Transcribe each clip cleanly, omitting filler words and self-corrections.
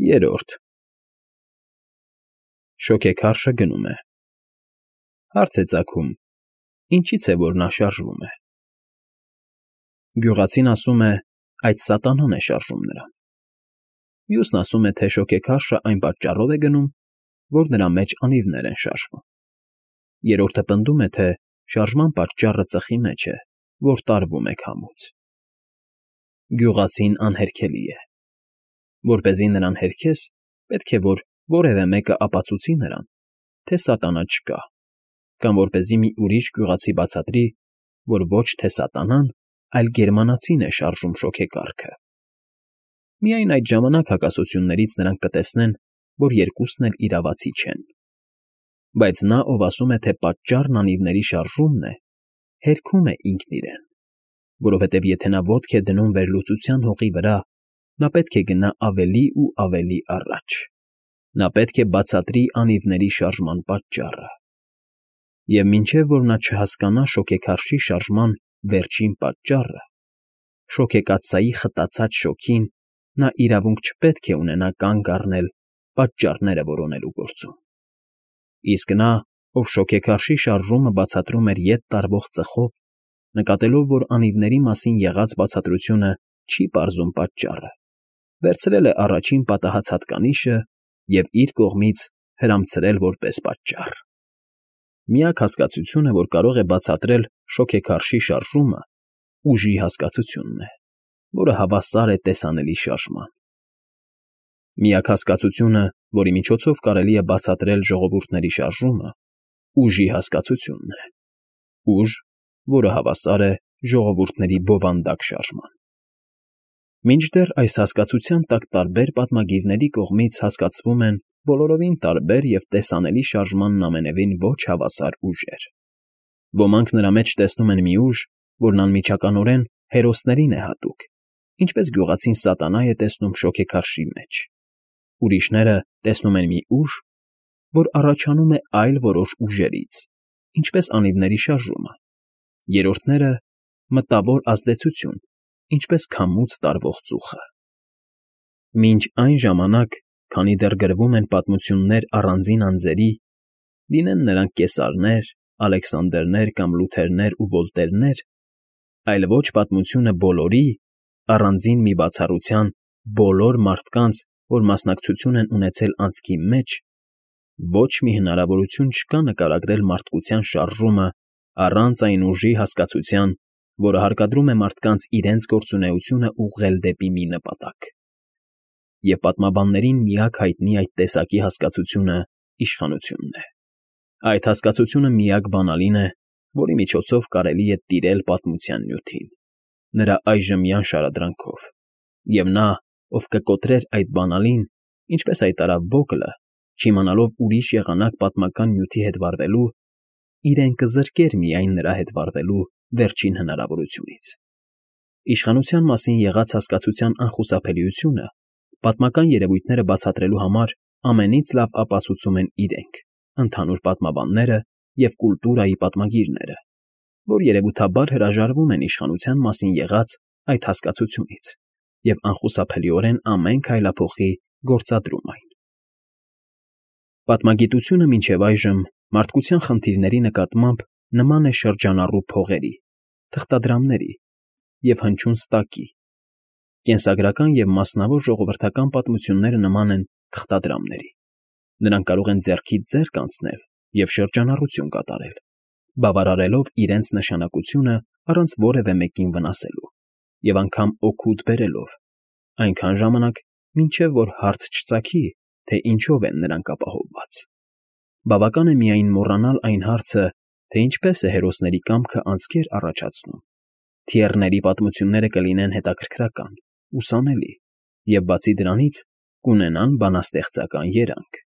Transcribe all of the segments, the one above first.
Երրորդ Շոգեքարշը գնում է։ Հարց է ծագում. ինչի՞ց է, որ նա շարժվում է։ Գյուղացին ասում է, այդ սատանան է շարժում նրան։ Մյուսն ասում է, թե շոգեքարշը այն պատճառով է գնում, որ նրա մեջ անիվներ են շարժվում։ Երրորդը պնդում է, թե շարժման պատճառը ծխի մեջ է, որ տարվում է քամուց։ Գյուղացին անհերքելի է։ Որպեսզի նրան հերքես, պետք է որ որևէ մեկը ապացուցի նրան, թե սատանա չկա, կամ որպեսզի մի ուրիշ գյուղացի բացատրի, որ ոչ թե սատանան, այլ գերմանացին է շարժում շոգեկառքը։ Միայն այդ ժամանակ հակասություններից նրանք կտեսնեն, որ երկուսն էլ իրավացի չեն։ Բայց նա, ով ասում է, թե պատճառն անիվների շարժումն է, հերքում է ինքն իրեն, որովհետև եթե նա ոտք է դնում վերլուծության հողի վրա, նա պետք է գնա ավելի ու ավելի առաջ։ Նա պետք է բացատրի անիվների շարժման պատճառը։ Եվ մինչև որ նա չհասկանա շոգեքարշի շարժման վերջին պատճառը, շոգեկաթսայի խտացած շոգին, նա իրավունք չպետք է ունենա կանգ առնել պատճառները որոնելու գործում։ Իսկ նա, ով շոգեքարշի շարժումը բացատրում էր ետ տարվող ծխով, նկատելով, որ անիվների մասին եղած բացատրությունը չի պարզում պատճառը, վերցրել է առաջին պատահած հատկանիշը և իր կողմից հրամցրել որպես պատճառ։ Միակ հասկացությունը, որ կարող է բացատրել շոգեքարշի շարժումը, ուժի հասկացությունն է, որը հավասար է տեսանելի շարժման։ Միակ հասկացությունը, որի միջոցով կարելի է բացատրել ժողովուրդների շարժումը, ուժի հասկացությունն է։ Ուժ, որը հավասար է ժողովուրդների բովանդակ շարժման։ Մինչդեռ այս հասկացության տակ տարբեր պատմագիրների կողմից հասկացվում են բոլորովին տարբեր և տեսանելի շարժմանն ամենևին ոչ հավասար ուժեր։ Ոմանք նրա մեջ տեսնում են մի ուժ, որն անմիջականորեն հերոսներին է հատուկ, ինչպես գյուղացին սատանա է տեսնում շոգեքարշի մեջ։ Ուրիշները տեսնում են մի ուժ, որ առաջանում է այլ որոշ ուժերից, ինչպես անիվների շարժումը։ Երրորդները՝ մտավոր ազդեցություն, ինչպես քամուց տարվող ծուխը։ Մինչ այն ժամանակ, քանի դեռ գրվում են պատմություններ առանձին անձերի, լինեն նրանք կեսարներ, Ալեքսանդրներ կամ Լութերներ ու Վոլտերներ, այլ ոչ պատմությունը բոլորի, առանձին մի բացառության բոլոր մարդկանց, որ մասնակցություն են ունեցել անցքի մեջ, ոչ մի հնարավորություն չկա նկարագրել մարդկության շարժումը առանց այն ուժի հասկացության, որը հարկադրում է մարդկանց իրենց գործունեությունը ուղղել դեպի մի նպատակ։ Եվ պատմաբաններին միակ հայտնի այդ տեսակի հասկացությունը իշխանությունն է։ Այդ հասկացությունը միակ բանալին է, որի միջոցով կարելի է տիրել պատմության նյութին, նրա այժմյան շարադրանքով, և նա, ով կկոտրեր այդ բանալին, ինչպես հայտարարավ Բոկլը, չիմանալով ուրիշ եղանակ պատմական նյութի հետ վարվելու, իրեն կզրկեր միայն նրա հետ վարվելու վերջին հնարավորությունից։ Իշխանության մասին եղած հասկացության անխուսափելիությունը պատմական երևույթները բացատրելու համար ամենից լավ ապացուցում են իրենք, ընդհանուր պատմաբանները և կուլտուրայի պատմագիրները, որ երևութաբար հրաժարվում են իշխանության մասին եղած այդ հասկացությունից և անխուսափելիորեն ամեն քայլափոխի գործադրում այն։ Պատմագիտությունը մինչև այժմ մարդկության խնդիրների նկատմամբ նման է շրջանառու փողերի, թղթադրամների և հնչյուն ստակի։ Կենսագրական և մասնավոր ժողովրդական պատմությունները նման են թղթադրամների։ Նրանք կարող են ձեռքից ձեռք անցնել և շրջանառություն կատարել, բավարարելով իրենց նշանակությունը առանց որևէ մեկին վնասելու և անգամ օգուտ բերելով, այնքան ժամանակ, մինչև որ հարց չծագի, թե ինչով են նրանք ապահովված։ Բավական է միայն մոռանալ այն հարցը, թե ինչպես է հերոսների կամքը անցքեր առաջացնում, թիեռների պատմությունները կլինեն հետաքրքրական, ուսանելի և, բացի դրանից, կունենան բանաստեղծական երանգ։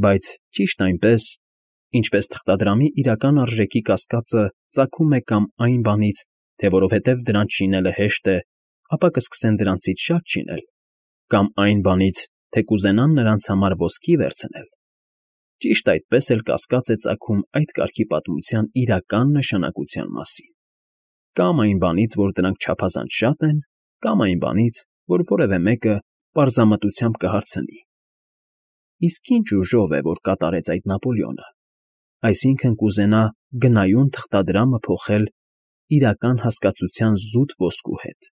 Բայց ճիշտ այնպես, ինչպես թղթադրամի իրական արժեքի կասկածը ծագում է կամ այն բանից, թե որովհետև դրանց շինելը հեշտ է, ապա կսկսեն դրանցից շատ շինել, կամ այն բանից, թե կուզենան նրանց համար ոսկի վերցնել, ճիշտ այդպես էլ կասկած է ծագում այդ կարգի պատմության իրական նշանակության մասին, կամ այն բանից, որ դրանք չափազանց շատ են, կամ այն բանից, որ որևէ մեկը պարզամտությամբ կհարցնի. իսկ ինչ ուժով է, որ կատարեց այդ Նապոլեոնը, այսինքն կուզենա գնայուն թղթադրամը փոխել իրական հասկացության զուտ ոսկու հետ։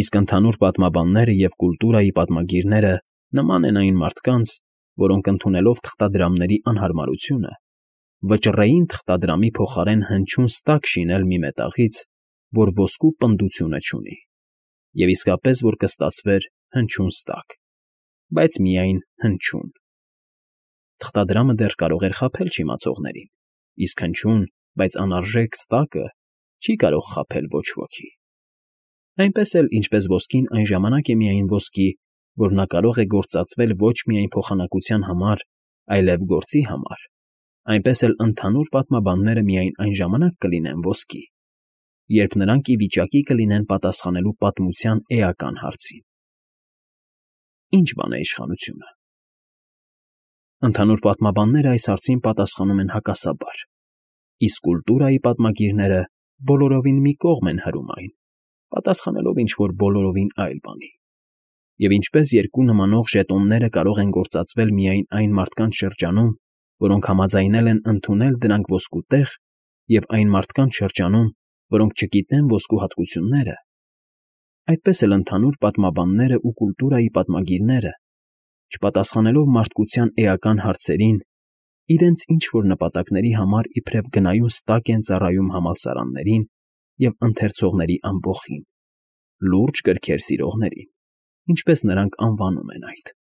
Իսկ ընդհանուր պատմաբանները և կուլտուրայի պատմագիրները նման են այն մարդկանց, որոնք ընդունելով թղթադրամների անհարմարությունը, վճռեին թղթադրամի փոխարեն հնչյուն ստակ շինել մի մետաղից, որ ոսկու պնդությունը չունի, և իսկապես որ կստացվեր հնչյուն ստակ, բայց միայն հնչյուն։ Թղթադրամը դեռ կարող էր խաբել չիմացողներին, իսկ հնչյուն, բայց անարժեք ստակը չի կարող խաբել ոչ ոքի։ Այնպես էլ, ինչպես ոսկին այն ժամանակ է միայն ոսկի, որ նա կարող է գործածվել ոչ միայն փոխանակության համար, այլև գործի համար, այնպես էլ ընդհանուր պատմաբանները միայն այն ժամանակ կլինեն ոսկի, երբ նրանք ի վիճակի կլինեն պատասխանելու պատմության էական հարցին. ի՞նչ բան է իշխանությունը։ Ընդհանուր պատմաբանները այս հարցին պատասխանում են հակասաբար, իսկ կուլտուրայի պատմագիրները բոլորովին մի կողմ են հրում այն, պատասխանելով ինչ֊որ բոլորովին այլ բանի։ Եվ ինչպես երկու նմանող ժետոնները կարող են գործածվել միայն այն մարդկանց շրջանում, որոնք համաձայնել են ընդունել դրանք ոսկու տեղ, և այն մարդկանց շրջանում, որոնք չգիտեն ոսկու հատկությունները, այդպես էլ ընդհանուր պատմաբանները ու կուլտուրայի պատմագիրները, չպատասխանելով մարդկության էական հարցերին, իրենց ինչ֊որ նպատակների համար իբրև գնայուն ստակ են ծառայում համալսարաններին և ընթերցողների ամբոխին, լուրջ գրքեր սիրողներին, ինչպես նրանք անվանում են այդ։